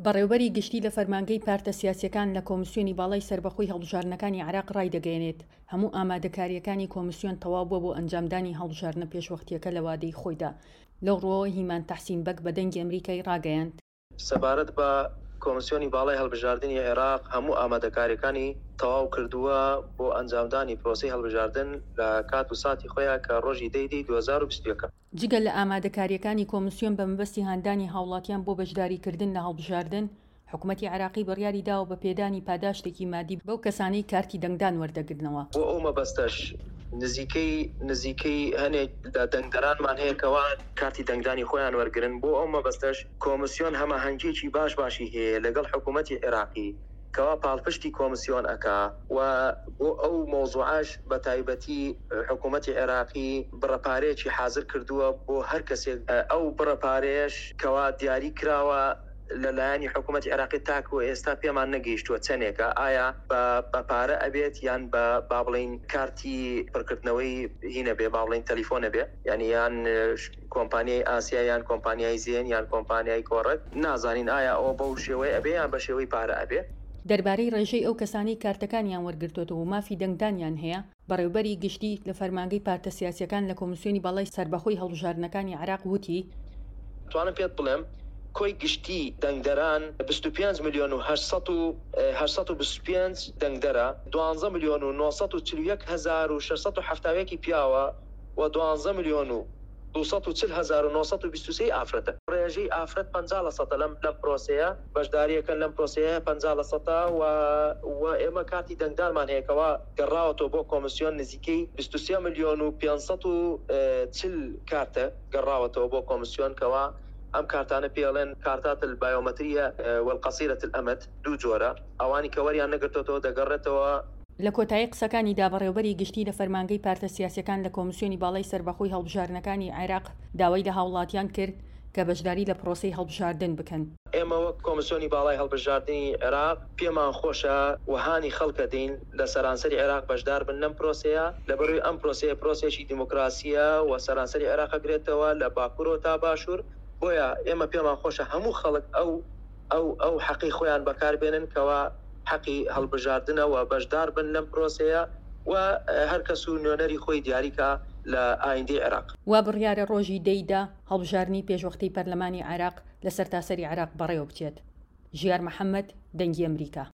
بەڕێوبەری گشتی لە فەرمانگەی پارتە سیاسییەکان لە کۆمسیۆنی باڵای سەربەخۆی هەڵبژاردنەکانی عێراق ڕایدەگەیەنێت، هەموو ئامادەکارییەکانی کۆمسیۆن تەواو بووە بۆ ئەنجامدانی هەڵبژاردنە پێشوەختییەکە لە وادەی خۆیدا. لەو ڕووەوە هیمان تەحسین بەگ بە دەنگی ئەمریکای ڕاگەیاند، سەبارەت بە کۆمسیۆنی باڵای هەڵبژاردنی عێراق هەموو ئامادەکارییەکانی تەواو کردووە بۆ ئەنجامدانی پرۆسەی هەڵبژاردن لە کات و ساتی خۆیا کە ڕۆژی دە ی دەی 2021 ە. جگە لە ئامادەکارییەکانی کۆمسیۆن بە مەبەستی هاندانی هاوڵاتیان بۆ بەشداریکردن لە هەڵبژاردن، حکومەتی عێراقی بڕیاری داوە بە پێدانی پاداشتێکی مادی بەو کەسانەی کارتی دەنگدان وەردەگرنەوە. بۆ ئەو مەبەستەش نزیکەی نزیکەی هەنێک لە دەنگدەرانمان هەیە کەوا کارتی دەنگدانی خۆیان وەرگرن، بۆ ئەو مەبەستەش کۆمسیۆن هەماهەنگیەکی باش باشی هەیە لەگەڵ حکومەتی عێراقی کەوا پاڵپشتی کۆمسیۆن ئەکا و بۆ ئەو مەوزوعەش بە تایبەتی حکومەتی عێراقی بڕە پارەیەکی حازر کردووە بۆ هەر کەسێک ئەو بڕە پارەیەش کەوا دیاری کراوە لە لایەنی حکومەتی عێراقی تاکو ئێستا پێمان نەگەیشتووە چەنێکە ئایا بە بە پارە ئەبێت یان بە با بڵێین کارتی پڕکردنەوەی هینە بێ با بڵێین تەلیفۆنە بێ یانی یان کۆمپانیای ئاسیا یان کۆمپانیای زێن یان کۆمپانیای کۆڕەک نازانین ئایا ئەوە بەو شێوەیە ئەبێ یان بە شێوەی پارە ئەبێ. دەربارەی ڕێژەی ئەو کەسانەی کارتەکانیان وەرگرتۆتەوە و مافی دەنگدانیان هەیە، بەڕێوبەری گشتی لە فەرمانگەی پارتە سیاسییەکان لە کۆمیسیۆنی باڵای سەربەخۆی هەڵبژاردنەکانی عێراق وتی، توانم پێت بڵێم کۆی گشتی دەنگدەران 25 ملیۆن و 800 و 825 دەنگدەرە، دوانزە ملیۆن و 941 هەزار و 671 ی پیاوە و دوانزە ملیۆن و 240 هەزار و 923 ی ئافرەتە. ڕێژەی ئافرەت 50 لە سەتە لەم لەم پرۆسەیە بەشدارییەکەن لەم پرۆسەیە 50 لە سەتە و و ئێمە کارتی دەنگدانمان هەیە کەوا گەڕاوەتەوە بۆ کۆمسیۆن نزیکەی 23 ملیۆن و 540 کارتە گەڕاوەتەوە بۆ کۆمسیۆن کەوا ئەم کارتانە پێی ئەڵێن کارتات البایۆمەتریە والقصیرە الامد دوو جۆرە ئەوانی کە وەریان نەگرتۆتەوە دەگەڕێتەوە. لە کۆتایی قسەکانیدا بەڕێوبەری گشتی لە فەرمانگەی پارتە سیاسیەکان لە کۆمسیۆنی باڵای سەربەخۆی هەڵبژاردنەکانی عێراق داوای لە هاوڵاتیان کرد کە بەشداری لە پرۆسەی هەڵبژاردن بکەن. ئێمە وەک کۆمسیۆنی باڵای هەڵبژاردنی عێراق پێمان خۆشە و هانی خەڵک ئەدەین لە سەرانسەری عێراق بەشدار بن لەم پرۆسەیە، لەبەروی ئەم پرۆسەیە پرۆسەیەکی دیموکراسییە و سەرانسەری عێراق ئەگرێتەوە لە باکورەوە تا باشور، بۆیە ئێمە پێمان خۆشە هەموو خەڵک ئەو ئەو ئەو حەقەی خۆیان بەکار بێنن کەوا حەقی هەڵبژاردنە و بەشدار بن لەم پرۆسەیە و هەر کەس و نوێنەری خۆی دیاری کا لە ئایندەی عێراق. وا بڕیارە ڕۆژی دە ی دە هەڵبژاردنی پێشوەختەی پەرلەمانی عێراق لە سەرتاسەری عێراق بەڕێوەبچێت. ژیار محەمەد، دەنگی ئەمریکا.